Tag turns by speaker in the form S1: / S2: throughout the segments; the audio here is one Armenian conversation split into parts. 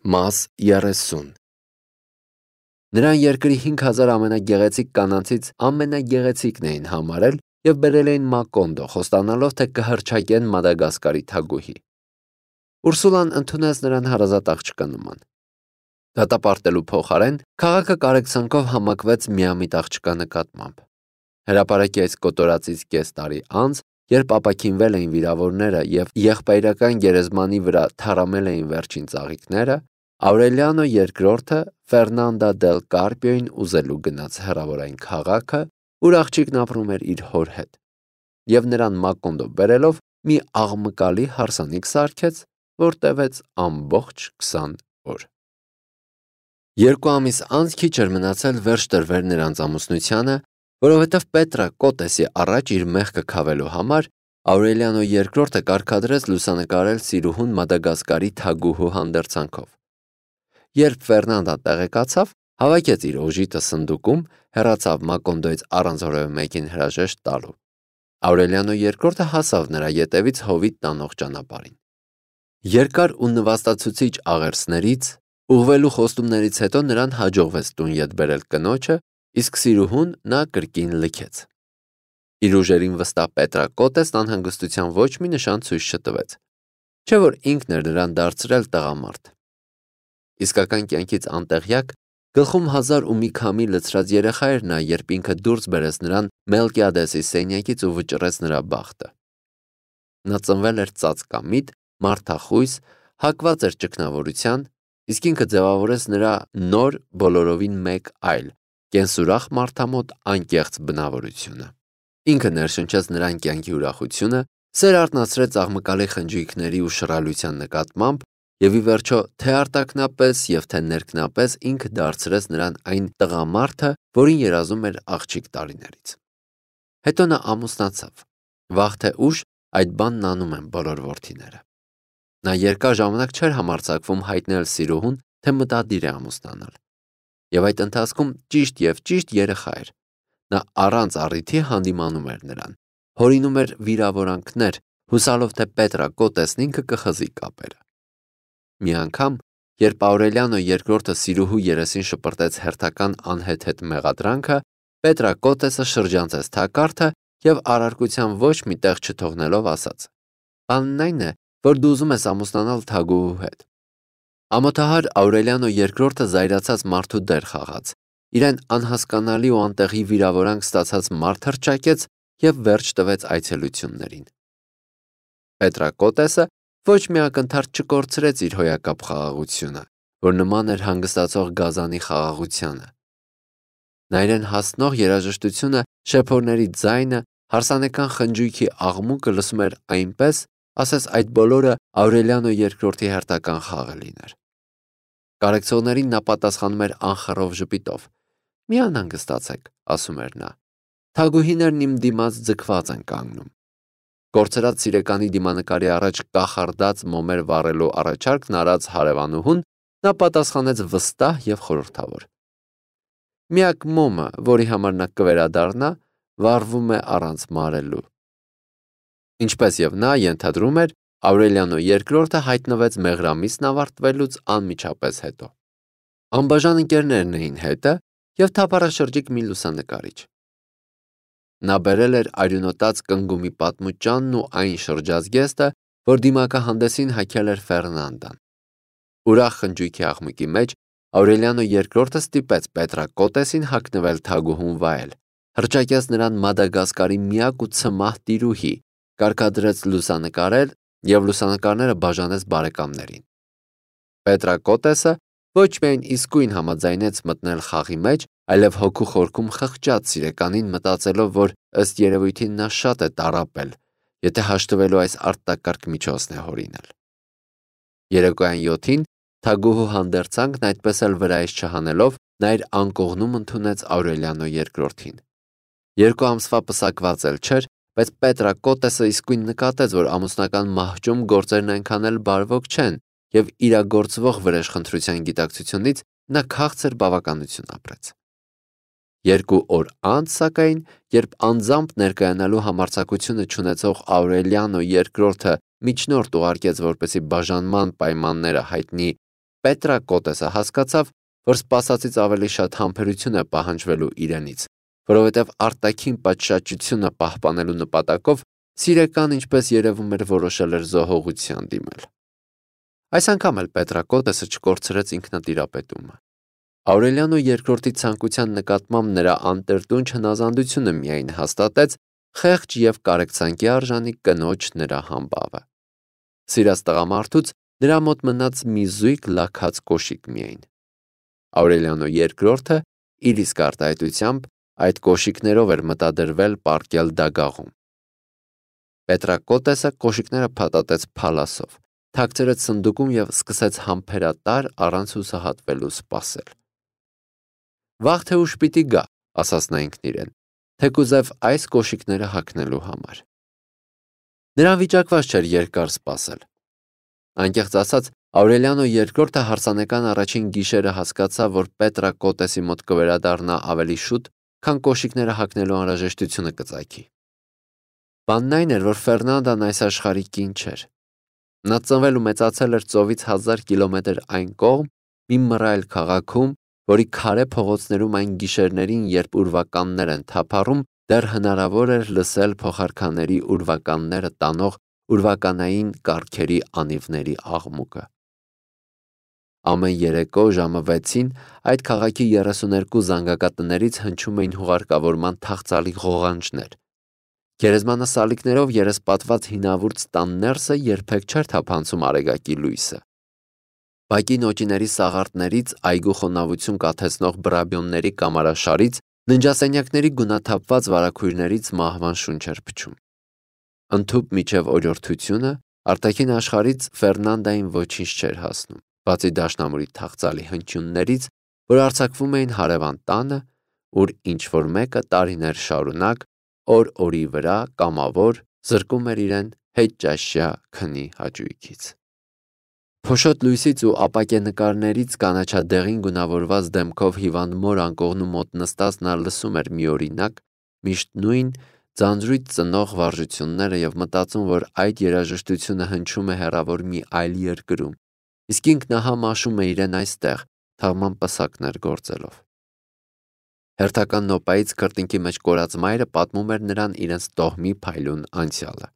S1: Մաս 30 Նրան երկրի 5000 ամենագեղեցիկ կանանցից ամենագեղեցիկն էին համարել և բերել էին Մակոնդո, խոստանալով, թե կհռչակեն Մադագասկարի թագուհի։ Ուրսուլան ընդունեց նրան հարազատ աղջկա նման։ Դատապարտելու փոխարեն քաղաքը կարեկցանքով համակվեց միամիտ աղջկա նկատմամբ։ Հրապարակի այս կոտորածից կես տարի անց, երբ ապաքինվել էին վիրավորները և եղբայրական գերեզմանի վրա թառամել էին վերջին ծաղիկները, Աուրելիանո II Ֆերնանդա դել Կարպիոին ուզելու գնաց հեռավոր այն քաղաքը, ուր աղջիկն ապրում էր իր հոր հետ, և նրան Մակոնդո բերելով մի աղմկալի հարսանիք սարքեց, որ տևեց ամբողջ 20 օր։ 2 ամիս անց քիչ էր մնացել վերջ տրվեր նրանց ամուսնությանը, որովհետև Պետրակոտեսի առաջ իր մեղքը քավելու համար Աուրելիանո II կարգադրեց լուսանկարել սիրուհուն Մադագասկարի թագուհու հանդերձանքով։ Երբ Ֆերնանդան տեղեկացավ, հավաքեց իր օժիտը սնդուկում, հեռացավ Մակոնդոյից առանց որևէ մեկին հրաժեշտ տալու։ Աուրելիանո II հասավ նրա ետևից հովիտ տանող ճանապարհին։ Երկար ու նվաստացուցիչ աղերսներից, ուղղվելու խոստումներից հետո նրան հաջողվեց տուն ետ բերել կնոջը, իսկ սիրուհուն նա կրկին լքեց։ Իր ուժերին վստահ Պետրակոտեսն անհանգստության ոչ մի նշան ցույց չտվեց, չէ որ ինքն էր նրան դարձրել տղամարդ։ Իսկական կյանքից անտեղյակ, գլխում 1000 ու մի քամի լցրած երեխա էր նա, երբ ինքը դուրս բերեց նրան Մելկիադեսի սենյակից ու վճռեց նրա բախտը։ Նա ծնվել էր ծածկամիտ, մարդախույս, հակված էր ճգնավորության, իսկ ինքը ձևավորեց նրա նոր բոլորովին մեկ այլ, կենսուրախ մարդամոտ անկեղծ բնավորությունը։ Ինքը ներշնչեց նրան կյանքի ուրախությունը, սեր արթնացրեց աղմկալի խնջույքների ու շռայլության նկատմամբ, և ի վերջո թե արտաքնապես և թե ներքնապես ինքը դարձրեց նրան այն տղամարդը, որին երազում էր աղջիկ տարիներից։ Հետո նա ամուսնացավ։ Վաղ թե ուշ այդ բանն անում են բոլոր որդիները։ Նա երկար ժամանակ չէր համարձակվում հայտնել սիրուհուն, թե մտադիր է ամուսնանալ։ Եվ այդ ընթացքում ճիշտ երեխա էր։ Նա առանց առիթի հանդիմանում էր նրան, հորինում էր վիրավորանքներ, հուսալով, թե Պետրակոտեսն ինքը կխզի կապերը։ Մի անգամ, երբ Աուրելիանո II սիրուհու երեսին շպրտեց հերթական անհեթեթ մեղադրանքը, Պետրակոտեսը շրջանցեց թակարդը և առարկության ոչ մի տեղ չթողնելով ասաց. «Բանն այն է, որ դու ուզում ես ամուսնանալ թագուհու հետ»։ Ամոթահար Աուրելիանո II զայրացած մարդու դեր խաղաց, իրեն անհասկանալի ու անտեղի վիրավորանք ստացած մարդ հռչակեց և վերջ տվեց այցելություններին։ Պետրակոտեսը ոչ մի ակնթարթ չկորցրեց իր հոյակապ խաղաղությունը, որ նման էր հանգստացող գազանի խաղաղությանը։ Նա իրեն հասնող երաժշտությունը, շեփորների ձայնը, հարսանեկան խնջույքի աղմուկը լսում էր այնպես, ասես այդ բոլորը Աուրելիանո II հերթական խաղը լիներ։ Կարեկցողներին նա պատասխանում էր անխռով ժպիտով։ «Մի անհանգստացեք», ասում էր նա, «թագուհիներն իմ դիմաց ձգված են կանգնում»։ Կորցրած սիրեկանի դիմանկարի առաջ կախարդած մոմեր վառելու առաջարկն արած հարևանուհուն նա պատասխանեց վստահ և խորհրդավոր։ Միակ մոմը, որի համար նա կվերադառնա, վառվում է առանց մարելու։ Ինչպես և նա ենթադրում էր, Աուրելիանո II հայտնվեց մեղրամիսն ավարտվելուց անմիջապես հետո։ Անբաժան ընկերներն էին հետը և թափառաշրջիկ մի լուսանկարիչ։ Նա բերել էր արյունոտած կնգումի պատմուճանն ու այն շրջազգեստը, որ դիմակահանդեսին հագել էր Ֆերնանդան։ Ուրախ խնջույքի աղմուկի մեջ Աուրելիանո II ստիպեց Պետրակոտեսին հագնվել թագուհուն վայել, հռչակեց նրան Մադագասկարի միակ ու ցմահ տիրուհի, կարգադրեց լուսանկարել և լուսանկարները բաժանեց բարեկամներին։ Պետրակոտեսը ոչ միայն իսկույն համաձայնեց մտնել խաղի մեջ, այլև հոգու խորքում խղճաց սիրեկանին, մտածելով, որ ըստ երևույթին նա շատ է տառապել, եթե հաշտվելու այս արտակարգ միջոցն է հորինել։ Երեկոյան 7-ին թագուհու հանդերձանքն այդպես էլ վրայից չհանելով, նա իր անկողնում ընդունեց Աուրելիանո II-ին։ 2 ամսվա պսակված էլ չէր, բայց Պետրակոտեսը իսկույն նկատեց, որ ամուսնական մահճում գործերն այնքան էլ բարվոք չեն, և իրագործվող վրեժխնդրության գիտակցությունից նա քաղցր բավականություն ապրեց։ 2 օր անց, սակայն, երբ անձամբ ներկայանալու համարձակությունը չունեցող Աուրելիանո II միջնորդ ուղարկեց, որպեսզի բաժանման պայմանները հայտնի Պետրակոտեսը հասկացավ, որ սպասածից ավելի շատ համբերություն է պահանջվելու իրենից, որովհետև արտաքին պատշաճությունը պահպանելու նպատակով Սիրեկան, ինչպես երևում էր, որոշել էր զոհողության դիմել։ Այս անգամ էլ Պետրակոտեսը չկորցրեց ինքնատիրապետումը։ Աուրելիանո II ցանկության նկատմամբ նրա անտրտունչ հնազանդությունը միայն հաստատեց խեղճ և կարեկցանքի արժանի կնոջ նրա համբավը։ Սիրած տղամարդուց նրա մոտ մնաց մի զույգ լաքած կոշիկ միայն։ Աուրելիանո II իր իսկ արտահայտությամբ այդ կոշիկներով էր մտադրվել պառկել դագաղում։ Պետրակոտեսը կոշիկները փաթաթեց փալասով, թաքցրեց սնդուկում և սկսեց համբերատար առանց հուսահատվելու սպասել։ Վաղ թե ուշ պիտի գա, ասաց նա ինքն իրեն, թեկուզև այս կոշիկները հագնելու համար։ Նրան վիճակված չէր երկար սպասել։ Անկեղծ ասած, Աուրելիանո II հարսանեկան առաջին գիշերը հասկացավ, որ Պետրակոտեսի մոտ կվերադառնա ավելի շուտ, քան կոշիկները հագնելու անհրաժեշտությունը կծագի։ Բանն այն էր, որ Ֆերնանդան այս աշխարհի կին չէր։ Նա ծնվել ու մեծացել էր ծովից 1000 կիլոմետր այն կողմ, մի մռայլ քաղաքում, որի քարե փողոցներում այն գիշերներին, երբ ուրվականներ են թափառում, դեռ հնարավոր էր լսել փոխարքաների ուրվականները տանող ուրվականային կառքերի անիվների աղմուկը։ Ամեն երեկո ժամը 6-ին այդ քաղաքի 32 զանգակատներից հնչում էին հուղարկավորման թախծալի ղողանջներ։ Գերեզմանը սալիկներով երեսպատված հինավուրց տան ներսը երբեք չէր թափանցում արեգակի լույսը։ Բակի նոճիների սաղարտներից, այգու խոնավություն կաթեցնող բրաբյոնների կամարաշարից, ննջասենյակների գունաթափված վարագույրներից մահվան շունչ էր փչում։ Ընդհուպ միջև օրյորթությունը արտաքին աշխարհից Ֆերնանդային ոչինչ չէր հասնում, բացի դաշնամուրի թախծալի հնչյուններից, որ արձակվում էին հարևան տանը, ուր ինչ-որ մեկը տարիներ շարունակ օր-օրի վրա կամավոր զրկում էր իրեն հետճաշյա քնի հաճույքից։ Փոշոտ լույսից ու ապակե նկարներից կանաչադեղին գունավորված դեմքով հիվանդ մոր անկողնու մոտ նստած նա լսում էր միօրինակ, միշտ նույն ձանձրույթ ծնող վարժությունները և մտածում, որ այդ երաժշտությունը հնչում է հեռավոր մի այլ երկրում, իսկ ինքն ահա մաշում է իրեն այստեղ, թաղման պսակներ գործելով։ Հերթական նոպայից քրտինքի մեջ կորած մայրը պատմում էր նրան իրենց տոհմի փայլուն անցյալը։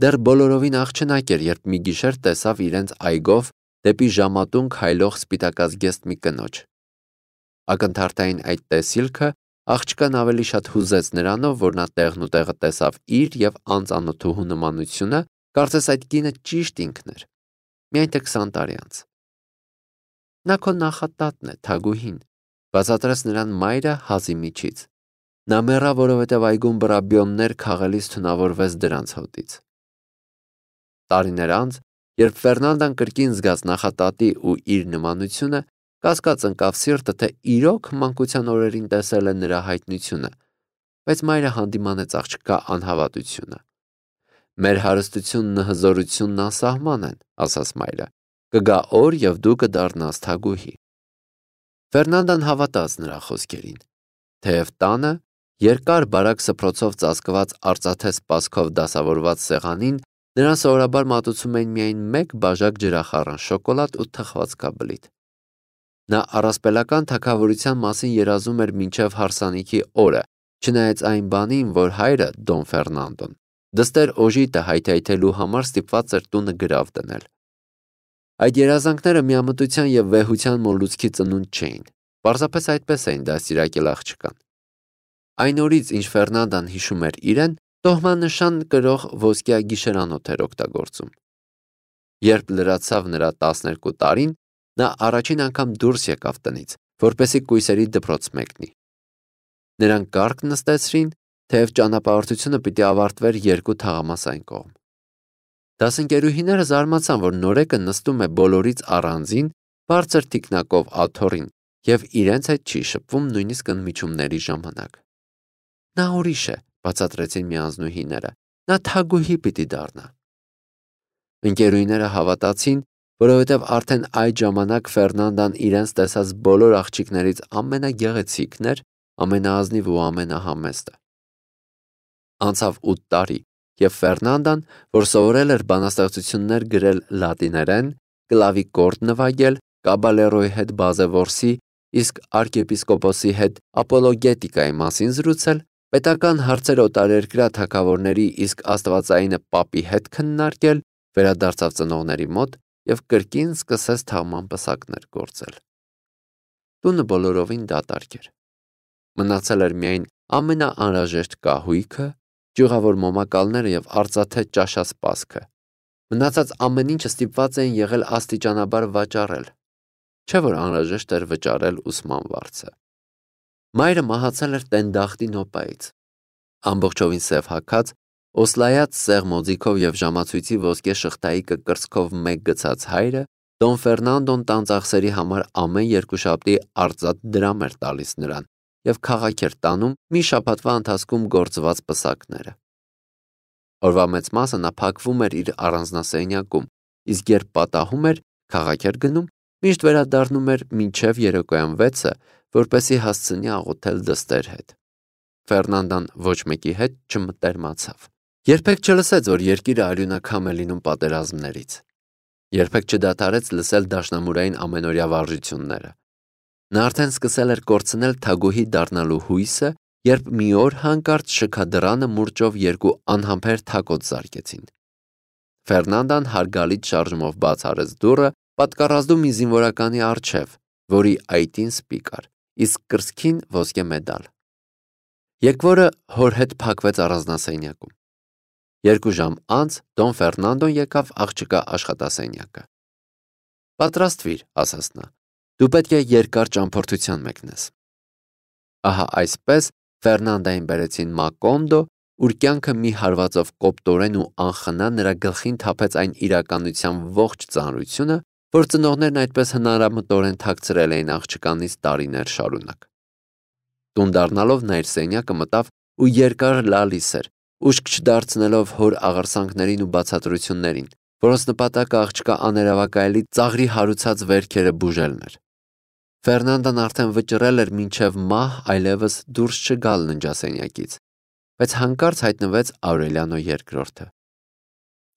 S1: Դեռ բոլորովին աղջնակ էր, երբ մի գիշեր տեսավ իրենց այգով դեպի ժամատուն քայլող սպիտակազգեստ մի կնոջ։ Ակնթարթային այդ տեսիլքը աղջկան ավելի շատ հուզեց նրանով, որ նա տեղն ու տեղը տեսավ իր և անծանոթուհու նմանությունը, կարծես այդ կինը ճիշտ ինքն էր, միայն թե 20 տարի անց։ Նա քո նախատատն է, Թագուհին, բացատրեց նրան մայրը հազի միջից։ Նա մեռավ, որովհետև այգում բրաբյոններ քաղելիս թունավորվեց դրանց հոտից։ Տարիներ անց, երբ Ֆերնանդան կրկին զգաց նախատատի ու իր նմանությունը, կասկած ընկավ սիրտը, թե իրոք մանկության օրերին տեսել է նրա հայտնությունը, բայց մայրը հանդիմանեց աղջկա անհավատությունը։ Մեր հարստությունն ու հզորությունն անսահման են, ասաց մայրը, կգա օր և դու կդառնաս թագուհի։ Ֆերնանդան հավատաց նրա խոսքերին, թեև տանը երկար բարակ սփռոցով ծածկված արծաթե սպասքով դասավորված սեղանին նրան սովորաբար մատուցում էին միայն մեկ բաժակ ջրախառն շոկոլադ ու թխվածքաբլիթ։ Նա առասպելական թագավորության մասին երազում էր մինչև հարսանիքի օրը, չնայած այն բանին, որ հայրը, Դոն Ֆերնանդոն, դստեր օժիտը հայթայթելու համար ստիպված էր տունը գրավ դնել։ Այդ երազանքները միամտության և վեհության մոլուցքի ծնունդ չէին, պարզապես այդպես էին դաստիարակել աղջկան։ Այն օրից, ինչ Ֆերնանդան հիշում էր իրեն, տոհմանշան կրող ոսկյա գիշերանոթ էր օգտագործում։ Երբ լրացավ նրա 12 տարին, նա առաջին անգամ դուրս եկավ տնից, որպեսզի կույսերի դպրոց մեկնի։ Նրան կառք նստեցրին, թեև ճանապարհորդությունը պիտի ավարտվեր 2 թաղամասային կողմ։ Դասընկերուհիները զարմացան, որ նորեկը նստում է բոլորից առանձին, բարձր թիկնակով աթոռին և իրենց հետ չի շփվում նույնիսկ ընդմիջումների ժամանակ։ Նա ուրիշ է, բացատրեցին միանձնուհիները, նա թագուհի պիտի դառնա։ Ընկերուհիները հավատացին, որովհետև արդեն այդ ժամանակ Ֆերնանդան իրենց տեսած բոլոր աղջիկներից ամենագեղեցիկն էր, ամենաազնիվ ու ամենահամեստը։ Անցավ 8 տարի, և Ֆերնանդան, որ սովորել էր բանաստեղծություններ գրել լատիներեն, կլավիկորդ նվագել, կաբալերոյի հետ բազևորսի, իսկ արքեպիսկոպոսի հետ ապոլոգետիկայի մասին զրուցել, պետական հարցեր օտարերկրյա թագավորների իսկ աստվածայինը պապի հետ քննարկել, վերադարձավ ծնողների մոտ և կրկին սկսեց թաղման պսակներ գործել։ Տունը բոլորովին դատարկ էր։ Մնացել էր միայն ամենաանհրաժեշտ կահույքը, ճյուղավոր մոմակալները և արծաթե ճաշասպասքը։ Մնացած ամեն ինչը ստիպված էին եղել աստիճանաբար վաճառել, չէ՞ որ անհրաժեշտ էր վճարել ուսման վարձը։ Մայրը մահացել էր տենդախտի նոպայից։ Ամբողջովին սև հագած, օսլայած սեղ մոձիքով և ժամացույցի ոսկե շղթայի կկրծքով մեկ գցած հայրը Դոն Ֆերնանդոն տան ծախսերի համար ամեն երկուշաբթի արծաթ դրամ էր տալիս նրան և քաղաք էր տանում մի շաբաթվա ընթացքում գործված պսակները։ Օրվա մեծ մասը նա փակվում էր իր առանձնասենյակում, իսկ երբ պատահում էր, քաղաք էր գնում, միշտ վերադառնում էր մինչև երեկոյան 6-ը, որպեսզի հասցնի աղոթել դստեր հետ։ Ֆերնանդան ոչ մեկի հետ չմտերմացավ։ Երբեք չլսեց, որ երկիրը արյունակամ է լինում պատերազմներից։ Երբեք չդադարեց լսել դաշնամուրային ամենօրյա վարժությունները։ Նա արդեն սկսել էր կորցնել թագուհի դառնալու հույսը, երբ մի օր հանկարծ շքադռանը մուրճով երկու անհամբեր թակոց զարկեցին։ Ֆերնանդան հարգալից շարժումով բաց արեց դուռը, պատկառազդու մի զինվորականի առջև, որի այտին սպի կար, իսկ կրծքին ոսկե մեդալ։ Եկվորը հոր հետ փակվեց առանձնասենյակում։ 2 ժամ անց Դոն Ֆերնանդոն եկավ աղջկա աշխատասենյակը։ Պատրաստվիր, ասաց նա, դու պետք է երկար ճամփորդության մեկնես։ Ահա այսպես Ֆերնանդային բերեցին Մակոնդո, ուր կյանքը մի հարվածով կոպտորեն ու անխնա նրա գլխին թափեց այն իրականության ողջ ծանրությունը, որ ծնողներն այդպես հնարամտորեն թաքցրել էին աղջկանից տարիներ շարունակ։ Տուն դառնալով նա իր սենյակը մտավ ու երկար լալիս էր, ուշք չդարձնելով հոր աղերսանքներին ու բացատրություններին, որոնց նպատակը աղջկա աներևակայելի ծաղրի հարուցած վերքերը բուժելն էր։ Ֆերնանդան արդեն վճռել էր մինչև մահ այլևս դուրս չգալ ննջասենյակից, բայց հանկարծ հայտնվեց Աուրելիանո II-ը։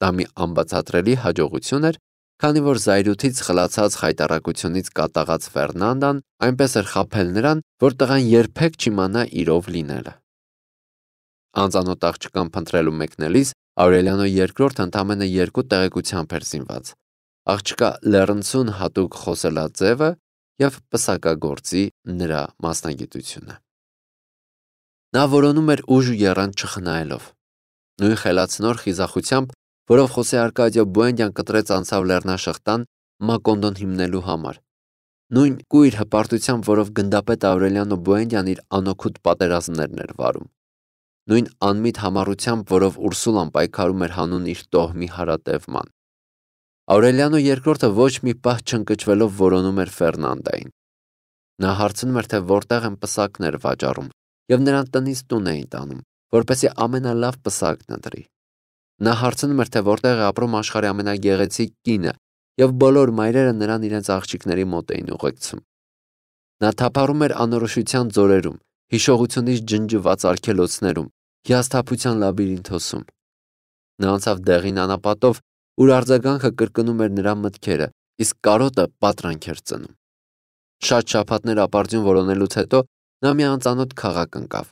S1: Դա մի անբացատրելի հաջողություն էր, քանի որ զայրույթից խլացած խայտառակությունից կատաղած Ֆերնանդան այնպես էր խաբել նրան, որ տղան երբեք չիմանա իրով լինելը։ Անծանոթ աղջկան փնտրելու մեկնելիս Աուրելիանո II-ը ընդամենը 2 տեղեկությամբ էր զինված՝ աղջկա լեռնցուն հատուկ խոսելաձևը և պսակագործի նրա մասնագիտությունը։ Նա որոնում էր ուժ ու եռանդ չխնայելով։ Նույն խելացնոր խիզախությամբ, որով Խոսե Արկադիո Բուենդյան կտրեց անցավ լեռնաշղթան Մակոնդոն հիմնելու համար։ Նույն կույր հպարտությամբ, որով գնդապետ Աուրելիանո Բուենդյան իր անօգուտ պատերազմներն էր վարում։ Նույն անմիտ համառությամբ, որով Ուրսուլան պայքարում էր հանուն իր տոհմի հարատևման։ Աուրելիանո II-ը ոչ մի պահ չընկճվելով որոնում էր Ֆերնանդային։ Նա հարցնում էր, թե որտեղ են պսակներ վաճառում, և նրան տնից տուն էին տանում, որպեսզի ամենալավ պսակն ընտրի։ Նա հարցնում էր, թե որտեղ է ապրում աշխարհի ամենագեղեցիկ կինը, և բոլոր մայրերը նրան իրենց աղջիկների մոտ էին ուղեկցում։ Նա թափառում էր անորոշության ձորերում, հիշողությունից ջնջված արգելոցներում, հիասթափության լաբիրինթոսում։ Նա անցավ դեղին անապատով, ուր արձագանքը կրկնում էր նրա մտքերը, իսկ կարոտը պատրանք էր ծնում։ Շատ շաբաթներ ապարդյուն որոնելուց հետո նա մի անծանոթ քաղաք ընկավ,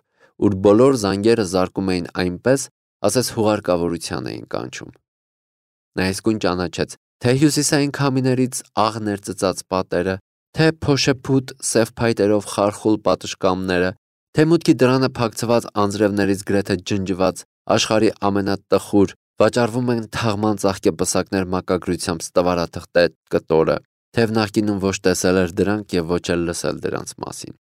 S1: ուր բոլոր զանգերը զարկում էին այնպես, ասես հուղարկավորության էին կանչում։ Նա իսկույն ճանաչեց թե հյուսիսային քամիներից աղ ներծծած պատերը, թե փոշեփուտ սև փայտերով խարխուլ պատշգամբները, թե մուտքի դռանը փակցված անձրևներից գրեթե ջնջված աշխարհի ամենատխուր վաճառվում են թաղման ծաղկե պսակներ մակագրությամբ ստվարաթղթե կտորը, թեև նախկինում ոչ տեսել էր դրանք և ոչ էլ լսել դրանց մասին։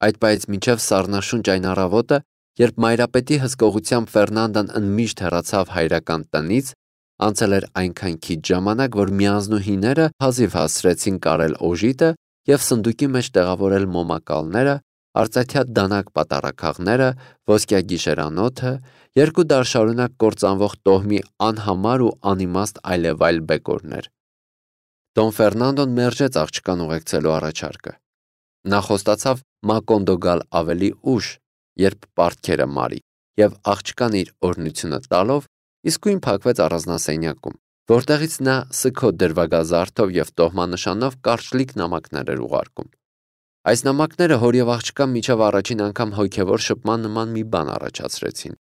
S1: Այդ պահից մինչև սառնաշունչ այն առավոտը, երբ մայրապետի հսկողությամբ Ֆերնանդան ընդմիշտ հեռացավ հայրական տնից, անցել էր այնքան քիչ ժամանակ, որ միանձնուհիները հազիվ հասցրեցին կարել օժիտը և սնդուկի մեջ տեղավորել մոմակալները, արծաթյա դանակ պատառաքաղները, ոսկյա գիշերանոթը, 2 դար շարունակ կործանվող տոհմի անհամար ու անիմաստ այլևայլ բեկորներ։ Դոն Ֆերնանդոն մերժեց աղջկան ուղեկցելու առաջարկը։ Նա խոստացավ Մակոնդո գալ ավելի ուշ, երբ պարտքերը մարի, և աղջկան իր օրհնությունը տալով իսկույն փակվեց առանձնասենյակում, որտեղից նա սգո դրվագազարդով և տոհմանշանով կարճլիկ նամակներ էր ուղարկում։ Այս նամակները հոր և աղջկա միջև առաջին անգամ հոգևոր շփման նման մի բան առաջացրեցին։